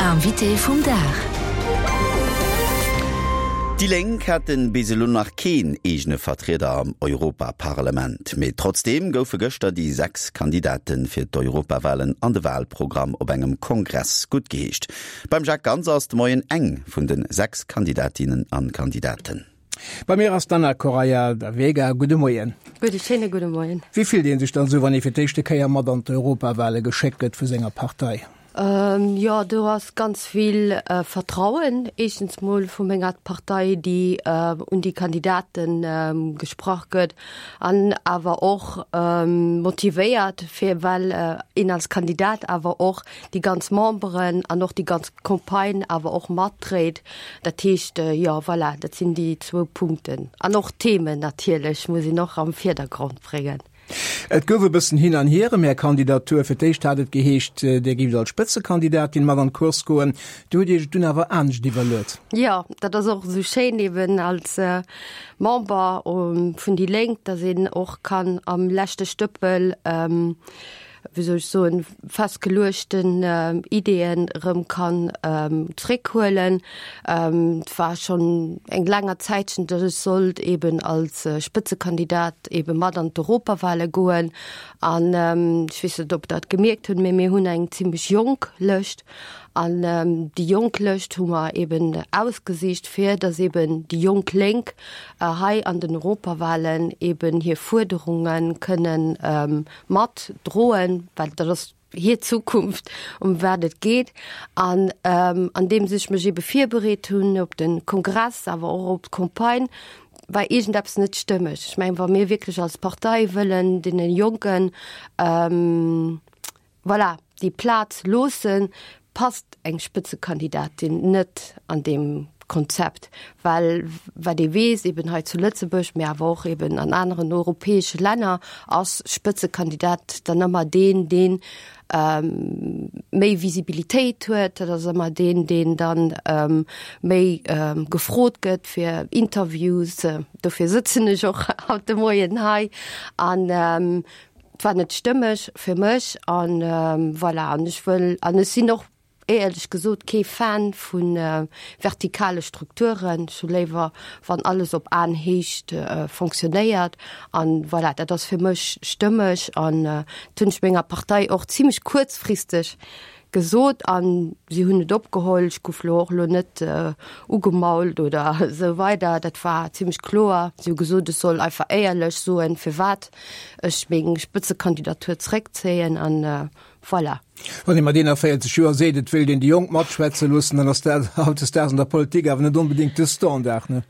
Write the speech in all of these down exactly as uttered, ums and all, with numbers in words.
Invité vum Dag. Déi Lénk haten bis elo nach keen eegene Vertrieder am Europaparlament. Mee trotzdeem goufe gëschter déi sechs Kandidate fir d'Europawalen an de Walprogramm op engem Kongress guttgeheescht. Beim Jacques Ganz ass de Moien eng vun de sechs Kandidatinnen an Kandidaten. Bei mir ass d'Anna Correia da Vega. Gudde Moien. Gudde schéine gudde Moien. Wéi fillt ee sech dann esou, wann ee fir d'éischte Kéier mat an d'Europawale geschéckt gëtt vu senger Partei? Jo, do ass ganz vill Vertrauen éischtens mol vu menger Partei, déi un déi Kandidate gesprach gëtt an awer och motivéiert, fir well een als Kandidat awer och déi ganz Memberen an och déi ganz Campagne awer och matdréit. Dat heescht, jo, voilà, dat sinn déi zwou Punkten. An och d'Themen natierlech muss een och am Virdergrond bréngen. Et gouf e bëssen hin an hier ëm Är Kandidatur. Fir d'éischt hat et geheescht, Dir géift als Spëtzekandidatin mat an d'Course goen. Dir hutt Iech et dunn awer anescht iwwerluet. Jo, dat ass och esou schéin eben als Member vun déi Lénk, datt een och kann am leschte Stëppel, wéi soll ech soen, festgeluechten Ideeën erëm kann zréckhuelen. Et war schonn eng länger Zäitchen, datt ech sollt eben als Spëtzekandidat ebe mat an d'Europawale goen. An ech weess net, ob Der et gemierkt hutt, mee mir hunn eng zimlech jonk Lëscht. An déi jonk Lëscht hu mer eben ausgesicht, fir datt eben déi jonk Lénk hei an den Europawalen eben hir Fuerderunge kënnen mat droen, well dat ass hir Zukunft, ëm wat et geet. An andeems ech mech ebe virbereet hunn op de Kongress, awer och op d'Campagne, war iergendeppes net stëmmeg. Ech mengen, wa mir wierklech als Partei wëllen deene Jonken, voilà, déi Plaz loossen, passt eng Spëtzekandidatin net an deem Konzept, well wat ee weess, eben hei zu Lëtzebuerg, mä awer och eben an aneren europäesche Länner, ass Spëtzekandidat dann ëmmer deen, dee méi Visibilitéit huet, dat ass ëmmer deen, deen dann méi gefrot gëtt fir Interviews. Dofir sëtzen ech och haut de Moien hei. An Et war net stëmmeg fir mech an voilà. An ech wëll, an ech sinn och éierlech gesot kee Fan vu vertikale Strukturen. Ech hu léiwer, wann alles op Aenhéicht fonctionnéiert. An voilà, dat ass fir mech stëmmeg an dat hunn ech menger Partei och zimlech kuerzfristeg gesot an si hunn et opgeholl. Ech gouf lo och lo net ugemault oder esou weider. Dat war zimlech kloer. Si hu gesot, ech soll einfach éierlech soen, firwat ech meng Spëtzekandidatur zréckzéien an voilà. Wann ee mat eenanvéierzeg Joer seet, et wéilt een déi Jonk matschwätze loossen, dann ass dat hautdesdaags an der Politik awer net onbedéngt de Standard, ne?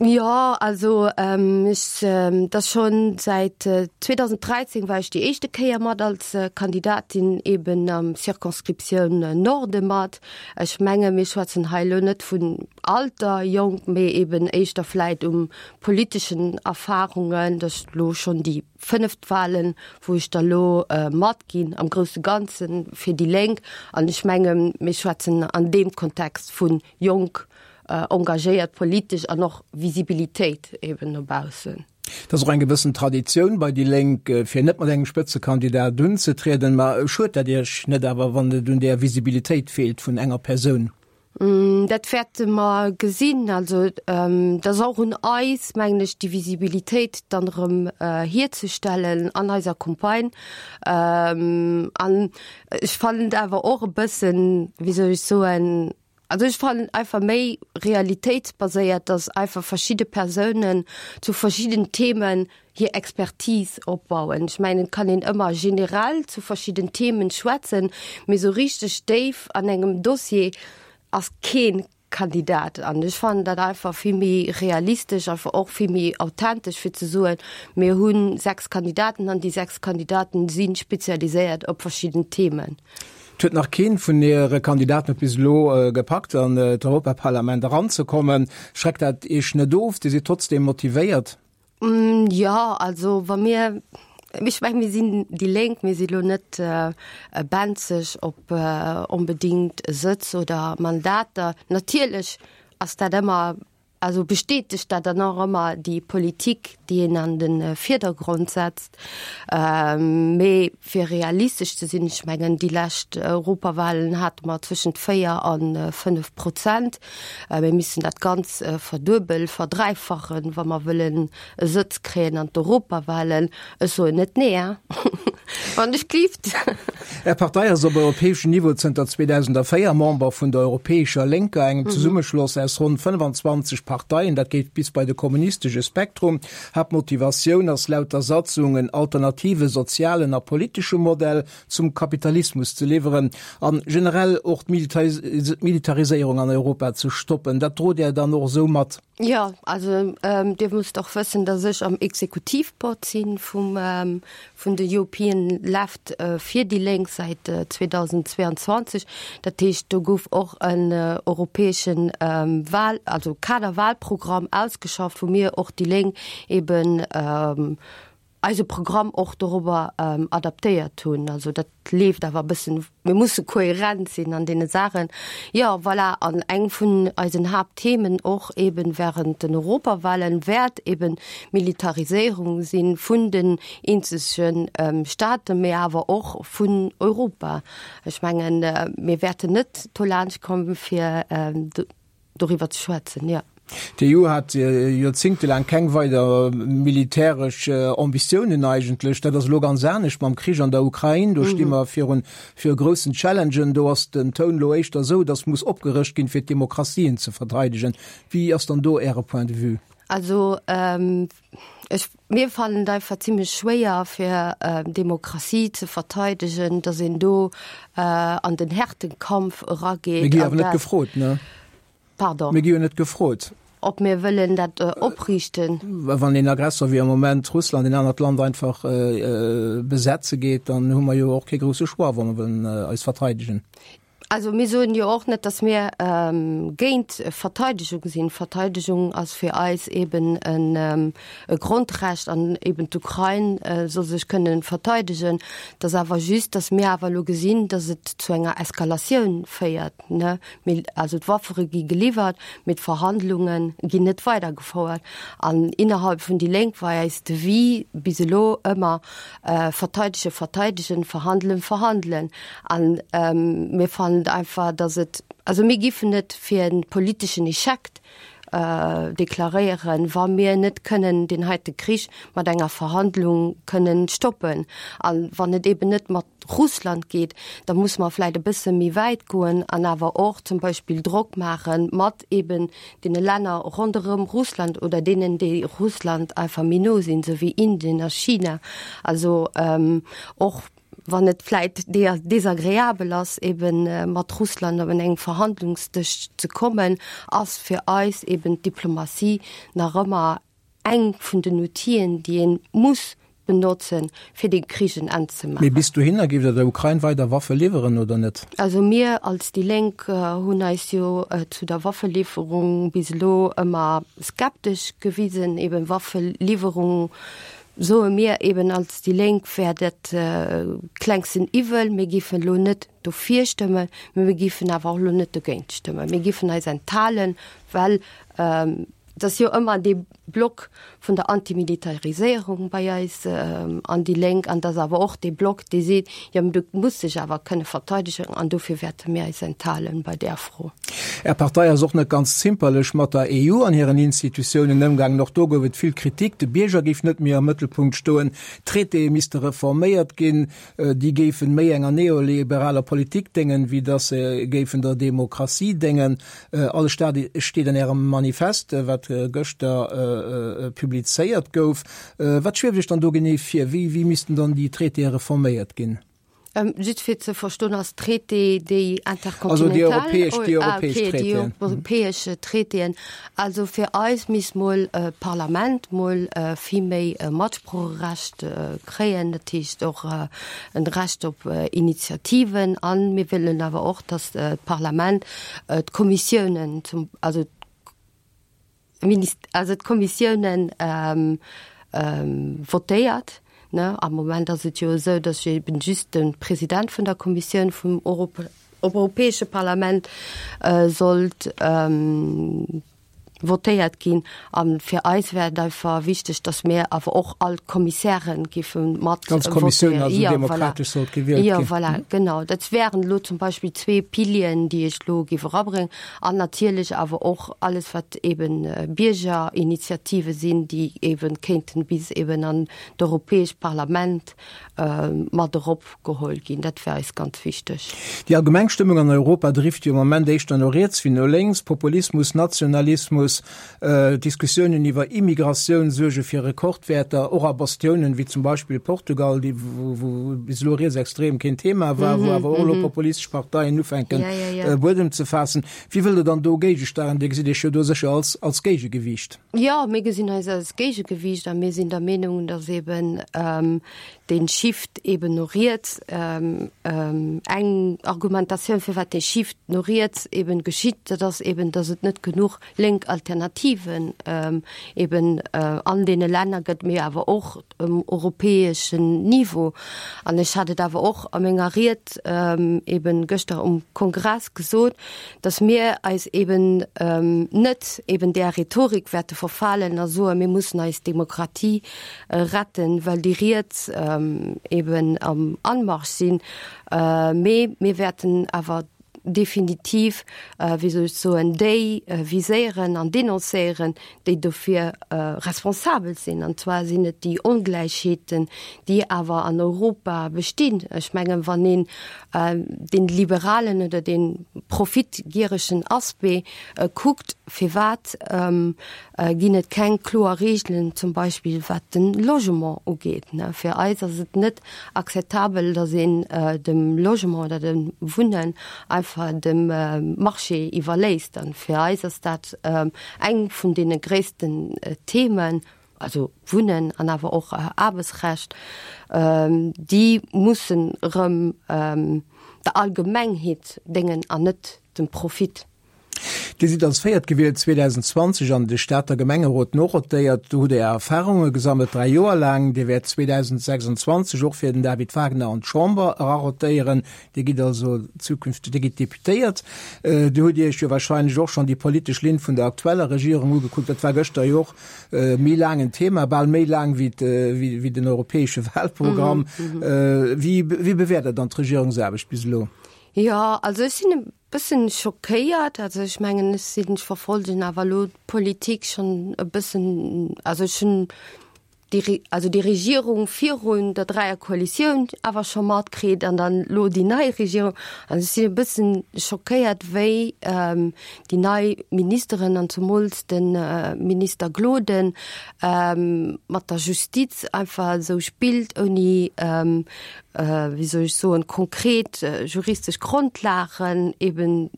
Jo, also ech, dat ass schonn säit zweedausenddräizéng war ech déi éischte Kéier mat als Kandidatin eben am Circonscriptioun Norde mat. Ech menge mir schwätzen hei elo net vun Alter jonk, mee eben éischter vläit um politeschen Erfarungen. Dat ass elo schonn déi fënneft Wahlen, wou ech da elo matginn am grousse Ganze fir déi Lénk. An ech menge mir schwätzen an deem Kontext vu jonk, engagéiert politesch an och Visibilitéit eben no baussen. Et ass och eng gewëssen Traditioun bei déi Lénk, fir net mat engem Spëtzekandidat unzetrieden. Ma schuet dat Iech net awer, wann et un där Visibilitéit feelt vun enger Persoun? Dat wäerte mer gesinn. Also et ass och un eis, mengen ech, déi Visibilitéit dann erëm hierzestellen an eiser Campagne. An ech fannen et awer och e bëssen, wéi soll ech soen, Also ech fannen einfach méi realitéitsbaséiert, dass einfach verschidde Persounen zu verschidden Themen hir Expertise opbauen. Ech mengen, et kann een ëmmer generell zu verschidden Themen schwätzen, mee esou richteg déif an engem Dossier ass kee Kandidat. An ech fannen dat einfach vill méi realistesch, einfach och vill méi authentesch, fir ze soen, mir hu sechs Kandidaten an déi sechs Kandidaten si spezialiséiert op verschidden Themen. Et huet nach keen vun Äre Kandidaten et bis elo gepackt an d'Europaparlament eranzekommen. Schreckt dat Iech net of? Dir sidd trotzdeem motivéiert? Jo, also wa mir, ech mengen, mir sinn déi Lénk, mir si lo net benzeg op onbedéngt Sëtz oder Mandater. Natierlech ass dat ëmmer also bestätegt dat dann och ëmmer déi Politik, déi een an de Virdergrond setzt. Mee fir realistesch ze sinn, ech mengen, déi lescht Europawahlen hate mer zwëschent véier a fënnef Prozent. Mir missten dat Ganz verduebel, verdräifachen, wa mer wëllen e Sëtz kréien an d'Europawahlen. Ech soen net nee, hein, wann ech gelift. Är Partei ass op europäeschem Niveau zënter zweedausendvéier Member vun der Europäescher Lénker, engem Zesummeschloss aus ronn fënnefanzwanzeg Parteien. Dat geet bis bei de kommunistesche Spektrum. Haaptmotivatioun ass laut der Satzung en alternative sozialen a politesche Modell zum Kapitalismus ze liwweren an generell och d'Militariséierung an Europa ze stoppen. Dat drot Där dann och esou mat? Jo, also Dir musst och wëssen, datt ech am Exekutivboard si vum vun de European Left fir déi Lénk säit zweedausendzweeanzwanzeg. Dat heescht, do gouf och en europäesche Wahl, also Kaderwahlprogramm ausgeschafft, wou mir och déi Lénk eben eise Programm och dorobber adaptéiert hunn. Also dat leeft awer e bëssen, mir musse kohärent sinn an deene Saachen. Jo, voilà, an eng vun eisen Haaptthemen och eben während den Europawahlen wäert eben d'Militariséierung si vun den eenzege Staaten, mee awer och vun Europa. Ech mengen, mir wäerten net dolaanscht kommen, fir doriwwer ze schwätzen, jo. D'EU hat joerzéngtelaang keng weider militäresch Ambitiounen eigentlech. Dat ass elo ganz anescht mam Krich an der Ukrain. Do sti mer virun viru groussen Challengen. Do ass den Toun elo éischter esou, datt muss opgerëscht ginn, fir d'Demokratien ze verteidegen. Wéi ass dann do Äre Point de vue? Also ech, mir fannen et einfach zimlech schwéier, fir Demokratie ze verteidegen, datt een do an den Härtekampf erageet. Mir gi awer net gefrot, ne? Pardon? Mir gi jo net gefrot. Ob mir wëllen dat opriichten. Wann een Aggressor wéi am Moment Russland een anert Land einfach besetze geet, dann hu mer jo och kee grousse Choix, wa mer wëllen eis verteidegen. Also mir soen jo och net, datt mir géint Verteidegung sinn. Verteidegung ass fir eis eben e Grondrecht an eben d'Ukrain soll sech kënnen verteidegen. Et ass awer just, datt mir awer elo gesinn, datt et zu enger Eskalatioun féiert. Ne, mee also d'Waffere gi geliwwert, mee d'Verhandlunge ginn net weidergefouert. An innerhalb vun déi Lénk war eis Devis bis elo ëmmer, verteidegen, verteidegen, verhandelen, verhandelen. An mir fannen einfach, datt et, also mir giffen et fir e politeschen Echec deklaréieren, wa mir net kënnen deen heite Krich mat enger Verhandlung kënnen stoppen. A wann et eben net mat Russland geet, da muss mer vläicht e bësse méi wäit goen an awer och zum Beispill Drock maache mat eben deene Länner ronderëm Russland oder deenen, déi Russland einfach méi no sinn, esou wéi Indien a China. Also och wann et vläicht desagreabel ass, eben mat Russland op en engem Verhandlungsdësch ze kommen, ass fir eis eben d'Diplomatie nach ëmmer eng vun den Outien, déi ee muss benotzen, fir deem Krich en Enn ze Mee maachen. bis dohinner, géift Der der Ukrain weider Waffe liwweren oder net? Also mir als déi Lénk hunn eis jo zu der Waffeliwwerung bis elo ëmmer skeptesch gewisen. Eben Waffeliwwerung, soe mir eben als déi Lénk, wär dat klengsten Iwwel. Mir géifen elo net dofir stëmmen, mee mir géifen awer och elo net dogéint stëmmen. Mir géifen eis enthalen, well Et ass jo ëmmer dee Block vun der Antimilitariséierung bei eis an déi Lénk, an et ass awer och dee Block, dee seet, jo, mä du muss dech awer kënne verteidegen, an dofir wäerte mir eis enthalen bei där Fro. Är Partei ass och net ganz zimperlech mat der E U an hiren Institutiounen ëmgaangen. Och do gouf et vill Kritik, de Bierger géif net méi am Mëttelpunkt stoen, d'Traitéë misste reforméiert ginn, déi géifen méi enger neoliberaler Politik déngen, wéi datt se géifen der Demokratie déngen. Alles dat steet an Ärem Manifest, wat gëschter publizéiert gouf. Wat schwieft Iech dann do genee vir? Wéi wéi missten dann déi Traitéë reforméiert ginn? Just fir ze verstoen, ass Traité déi Also déi interkontinental? europäesch, déi Ah, europäesch okay, déi Traitéen. europäesch Traitéen. Also fir eis misst mol d'Parlament mol vill méi Matsproocherecht kréien, dat heescht och en Recht op Initiativen. A mir wëllen awer och, datt d'Parlament d'Kommissiounen zum, also also d'Kommissiounen votéiert. Ne, am Moment ass et jo esou, datt eben just de President vun der Kommissioun vum Europäesche Parlament sollt votéiert ginn. A fir eis wär et einfach wichteg, dass mir awer och all d'Kommissären géife mat D'ganz Kommissioun also votéieren. Jo, voilà. demokratesch sollt gewielt Jo, ginn. voilà, genau. Dat wären elo zum Beispill zwee Pilieren, déi ech elo géif erabréngen. An natierlech awer och alles, wat eben Biergerinitiative sinn, déi eben kéinten bis eben an d'Europäescht Parlament mat eropgeholl ginn. Dat wär eis ganz wichteg. Déi allgemeng Stëmmung an Europa drift jo am Moment éischter no riets wéi no lénks. Populismus, Nationalismus, Diskussiounen iwwer Immigratioun suerge fir Rekordwäerter, och a Bastiounen wéi zum Beispill Portugal, déi wou bis elo rietsextrem keen Thema war, wou awer och elo populistesch Parteien ufänken Buedem ze faassen. Wéi wëllt Der dann do géigesteieren? Dir gesitt Iech jo do sécher als als Géigegewiicht. Jo, mir gesinn eis als Géigegewiicht a mir sinn der Meenung, dass eben dee Shift eben no riets, eng Argumentatioun firwat dee Shift no riets eben geschitt, dat ass eben, dass et net genuch lénk Alternativen eben an deene Länner gëtt, mee awer och um europäeschen Niveau. An ech hat et awer och a menger Ried eben gëschter um Kongress gesot, dass mir eis eben net eben där Rhetorik wäerte verfalen a soen, mir mussen eis Demokratie retten, well déi Riets eben am Anmarsch sinn, mee mir wäerten awer definitiv, wéi soll ech soen, déi viséieren an denoncéieren, déi dofir responsabel sinn. An zwar sinn et déi Ongläichheeten, déi awer an Europa bestinn. Ech mengen, wann een dee liberalen oder dee profitgieregen Aspect kuckt, firwat ginn et keng kloer Regeln zum Beispill wat de Logement ugeet? Fir eis ass et net akzeptabel, datt een dem Logement oder dem Wunnen einfach dem Marché iwwerléisst. An fir eis ass dat eng vun deene gréissten Themen, also Wunnen an awer och Aarbechtsrecht, déi mussen erëm der Allgemengheet déngen an net dem Profit. Dir sidd als Véiert gewielt zweedausendzwanzeg an de Stater Gemengerot norotéiert. Do hutt Dir Är Erfarunge gesammelt, dräi Joer laang. Dir wäert zweedausendsechsundzwanzeg och fir den David Wagner an d'Chamber erarotéieren. Dir gitt also zukünfteg, Dir gitt Deputéiert. Do hutt Dir Iech jo warscheinlech och schonn déi politesch Linn vun der aktueller Regierung ugekuckt. Dat war gëschter jo och méi laang en Thema, bal méi laang wéi wéi den europäesche Wahlprogramm. Wéi wéi bewäert Der dann d'Regierungsaarbecht bis elo? Jo, also ech sinn e bëssen schockéiert. Also ech mengen, ech sinn, ech verfolgen awer elo d'Politik schonn e bëssen, also ech hunn déi, also déi Regierung virun der Dräierkoalitioun awer scho matkritt an dann elo déi nei Regierung. An ech sinn e bëssen schockéiert, wéi déi nei Ministeren an zemools de Minister Gloden mat der Justiz einfach esou spillt, ouni wéi soll ech soen, konkret juristesch Grondlagen eben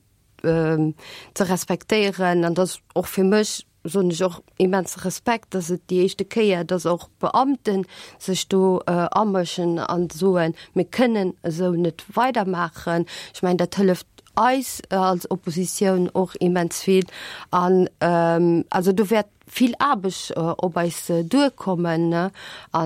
ze respektéieren. An dat ass och fir mech, soen ech och, immense Respekt, dass et déi éischte Kéier, dass och Beamte sech do amëschen an soen, mir kënnen esou net weidermaachen. Ech mengen, dat hëlleft eis als Oppositioun och immens vill. An also do wäert vill Aarbecht op eis duerkommen a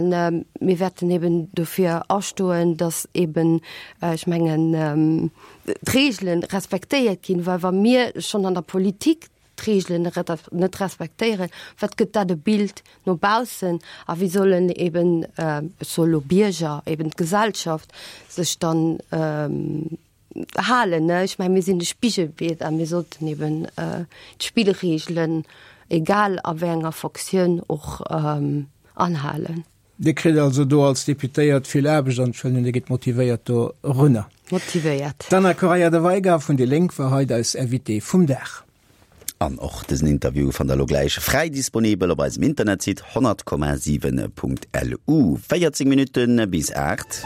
mir wäerten eben dofir astoen, dass eben, ech mengen, d'Reegele respektéiert ginn, well wa mir schonn an der Politik d'Reegelen net respektéieren, wat gëtt dat e Bild no baussen a wéi sollen eben, ech soe lo Bierger, eben d'Gesellschaft sech dann halen? Ech mengen, mir sinn de Spigelbild a mir sollten eben d'Spillreegelen, egal a wéi enger Fonctioun, och anhalen. Dir kritt also do als Deputéiert vill Aarbecht an ech huelen un, Dir gitt motivéiert do erunner. Motivéiert. D'Anna Correia da Veiga vun déi Lénk war haut eis Invitée vum Dag. An och dësen Interview fannt der elo gläich fräi disponibel op eisem Internetsite honnert Komma siwen Punkt lu. véierzéng Minutte bis aacht.